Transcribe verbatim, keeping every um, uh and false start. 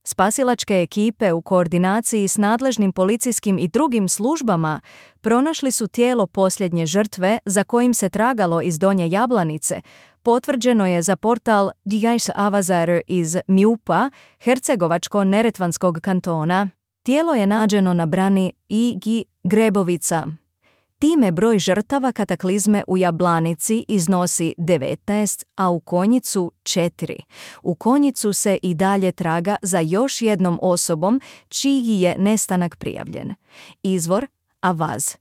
Spasilačke ekipe u koordinaciji s nadležnim policijskim i drugim službama pronašli su tijelo posljednje žrtve za kojim se tragalo iz Donje Jablanice, potvrđeno je za portal Dijajs Avazar iz Mjupa, Hercegovačko-neretvanskog kantona. Tijelo je nađeno na brani I G Grebovica. Time broj žrtava kataklizme u Jablanici iznosi devetnaest, a u Konjicu četiri. U Konjicu se i dalje traga za još jednom osobom čiji je nestanak prijavljen. Izvor Avaz.